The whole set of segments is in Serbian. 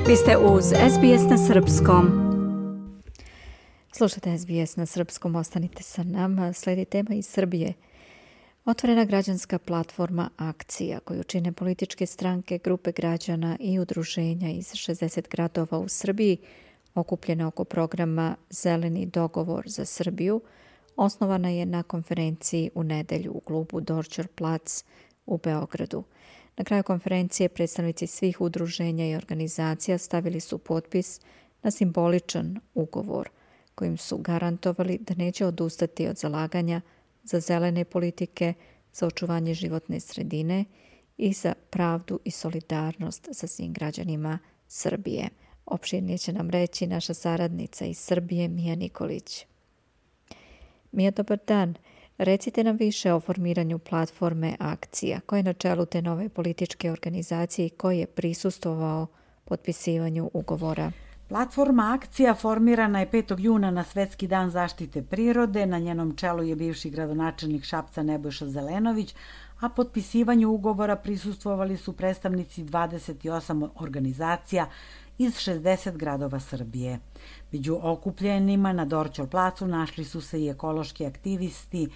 Vi ste uz SBS na Srpskom. Slušate SBS na Srpskom, ostanite sa nama. Slijedi tema iz Srbije. Otvorena građanska platforma Akcija, koju čine političke stranke, grupe građana i udruženja iz 60 gradova u Srbiji, okupljena oko programa Zeleni dogovor za Srbiju, osnovana je na konferenciji u nedelju u klubu Dorčer plac u Beogradu. Na kraju konferencije predstavnici svih udruženja i organizacija stavili su potpis na simboličan ugovor kojim su garantovali da neće odustati od zalaganja za zelene politike, za očuvanje životne sredine i za pravdu i solidarnost sa svim građanima Srbije. Opširnije će nam reći naša saradnica iz Srbije, Mija Nikolić. Mija, dobar dan. Recite nam više o formiranju platforme Akcija. Ko je na čelu te nove političke organizacije i ko je prisustvovao potpisivanju ugovora? Platforma Akcija formirana je 5. juna na Svetski dan zaštite prirode. Na njenom čelu je bivši gradonačelnik Šapca Nebojša Zelenović, a potpisivanju ugovora prisustvovali su predstavnici 28 organizacija iz 60 gradova Srbije. Među okupljenima na Dorćol placu našli su se i ekološki aktivisti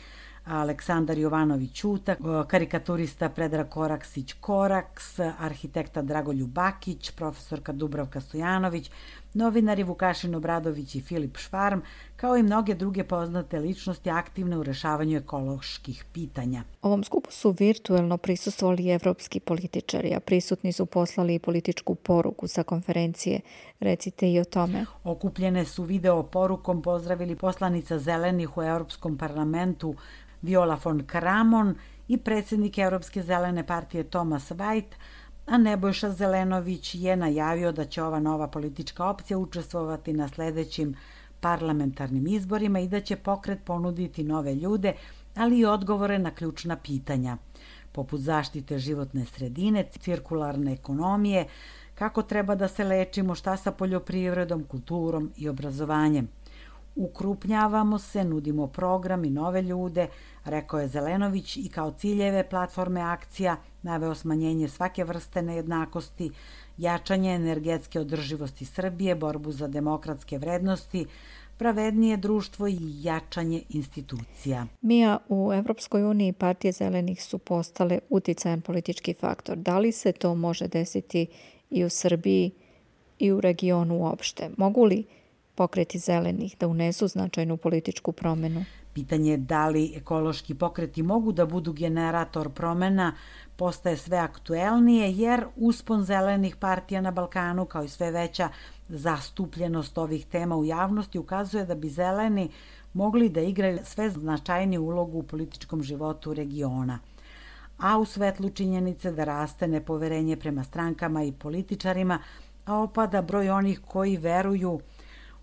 Aleksandar Jovanović Ćuta, karikaturista Predrag Koraksić-Koraks, arhitekta Dragoljub Bakić, profesorka Dubravka Stojanović, novinari Vukašin Obradović i Filip Švarm, kao i mnoge druge poznate ličnosti aktivne u rešavanju ekoloških pitanja. Ovom skupu su virtuelno prisustvovali evropski političari, a prisutni su poslali i političku poruku sa konferencije. Recite i o tome. Okupljene su video porukom pozdravili poslanica Zelenih u Europskom parlamentu Viola von Kramon i predsjednik Europske zelene partije Thomas White, a Nebojša Zelenović je najavio da će ova nova politička opcija učestvovati na sljedećim parlamentarnim izborima i da će pokret ponuditi nove ljude, ali i odgovore na ključna pitanja, poput zaštite životne sredine, cirkularne ekonomije, kako treba da se lečimo, šta sa poljoprivredom, kulturom i obrazovanjem. Ukrupnjavamo se, nudimo program i nove ljude, rekao je Zelenović, i kao ciljeve platforme Akcija naveo smanjenje svake vrste nejednakosti, jačanje energetske održivosti Srbije, borbu za demokratske vrednosti, pravednije društvo i jačanje institucija. Mija, u Evropskoj uniji partije zelenih su postale uticajan politički faktor. Da li se to može desiti i u Srbiji i u regionu uopšte? Mogu li pokreti zelenih da unesu značajnu političku promjenu? Pitanje da li ekološki pokreti mogu da budu generator promjena postaje sve aktuelnije, jer uspon zelenih partija na Balkanu, kao i sve veća zastupljenost ovih tema u javnosti, ukazuje da bi zeleni mogli da igraju sve značajniju ulogu u političkom životu regiona. A u svetlu činjenice da raste nepoverenje prema strankama i političarima, a opada broj onih koji veruju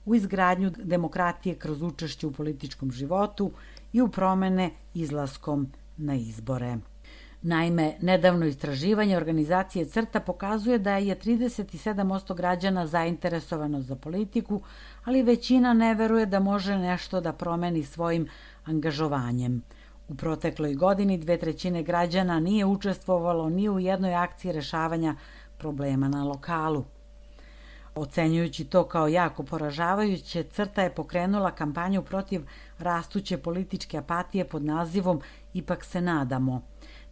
u izgradnju demokratije kroz učešće u političkom životu i u promjene izlaskom na izbore. Naime, nedavno istraživanje organizacije CRTA pokazuje da je 37% građana zainteresovano za politiku, ali većina ne veruje da može nešto da promeni svojim angažovanjem. U protekloj godini 2/3 građana nije učestvovalo ni u jednoj akciji rešavanja problema na lokalu. Ocenjujući to kao jako poražavajuće, CRTA je pokrenula kampanju protiv rastuće političke apatije pod nazivom Ipak se nadamo.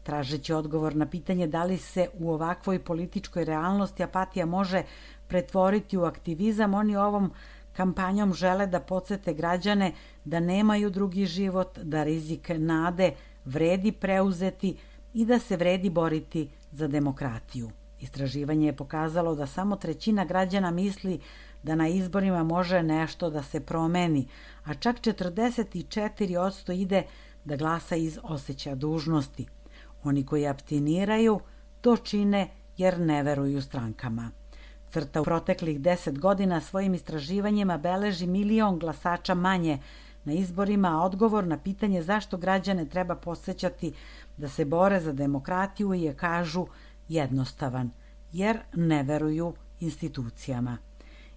Tražeći odgovor na pitanje da li se u ovakvoj političkoj realnosti apatija može pretvoriti u aktivizam, oni ovom kampanjom žele da podsete građane da nemaju drugi život, da rizik nade vredi preuzeti i da se vredi boriti za demokratiju. Istraživanje je pokazalo da samo 1/3 građana misli da na izborima može nešto da se promeni, a čak 44% ide da glasa iz osjećaja dužnosti. Oni koji apstiniraju to čine jer ne veruju strankama. CRTA u proteklih 10 godina svojim istraživanjima beleži 1 milion glasača manje na izborima, a odgovor na pitanje zašto građane treba podsjećati da se bore za demokratiju je, kažu, jednostavan, jer ne veruju institucijama.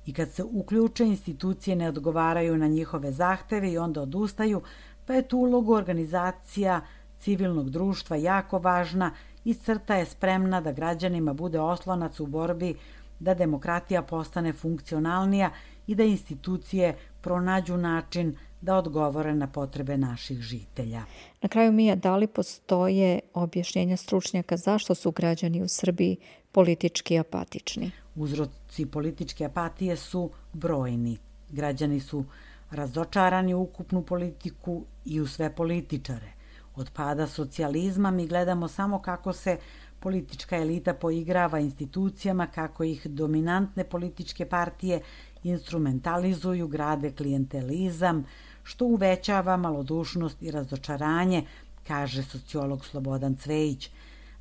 I kad se uključe, institucije ne odgovaraju na njihove zahteve i onda odustaju, pa je tu ulogu organizacija civilnog društva jako važna i CRTA je spremna da građanima bude oslonac u borbi da demokratija postane funkcionalnija i da institucije pronađu način da odgovore na potrebe naših žitelja. Na kraju, Mija, da li postoje objašnjenja stručnjaka zašto su građani u Srbiji politički apatični? Uzroci političke apatije su brojni. Građani su razočarani u ukupnu politiku i u sve političare. Od pada socijalizma mi gledamo samo kako se politička elita poigrava institucijama, kako ih dominantne političke partije instrumentalizuju, grade klijentelizam, što uvećava malodušnost i razočaranje, kaže sociolog Slobodan Cvejić.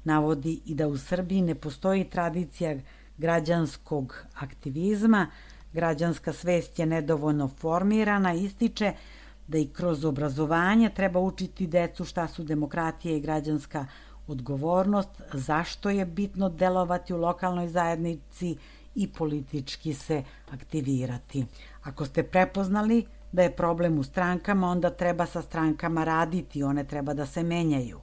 Navodi i da u Srbiji ne postoji tradicija građanskog aktivizma, građanska svest je nedovoljno formirana, ističe da i kroz obrazovanje treba učiti decu šta su demokratija i građanska odgovornost, zašto je bitno delovati u lokalnoj zajednici i politički se aktivirati. Ako ste prepoznali da je problem u strankama, onda treba sa strankama raditi, one treba da se menjaju.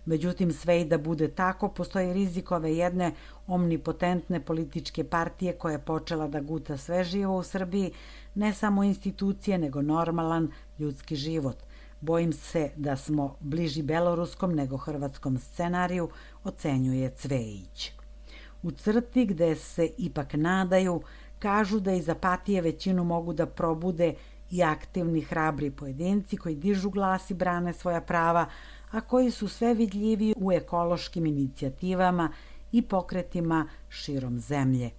Međutim, sve i da bude tako, postoji rizik ove jedne omnipotentne političke partije koja je počela da guta sve živo u Srbiji, ne samo institucije, nego normalan ljudski život. Bojim se da smo bliži beloruskom nego hrvatskom scenariju, ocenjuje Cvejić. U crti gde se ipak nadaju, kažu da iz apatije većinu mogu da probude i aktivni, hrabri pojedinci koji dižu glas i brane svoja prava, a koji su sve vidljiviji u ekološkim inicijativama i pokretima širom zemlje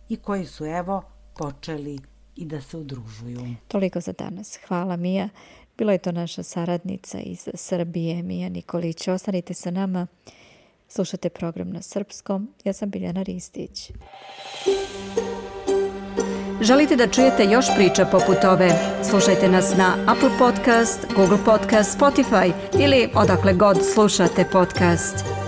i koji su, evo, počeli i da se udružuju. Toliko za danas. Hvala, Mija. Bila je to naša saradnica iz Srbije, Mija Nikolić. Ostanite sa nama. Slušate program na srpskom. Ja sam Biljana Ristić. Želite da čujete još priča poput ove? Slušajte nas na Apple Podcast, Google Podcast, Spotify ili odakle god slušate podcast.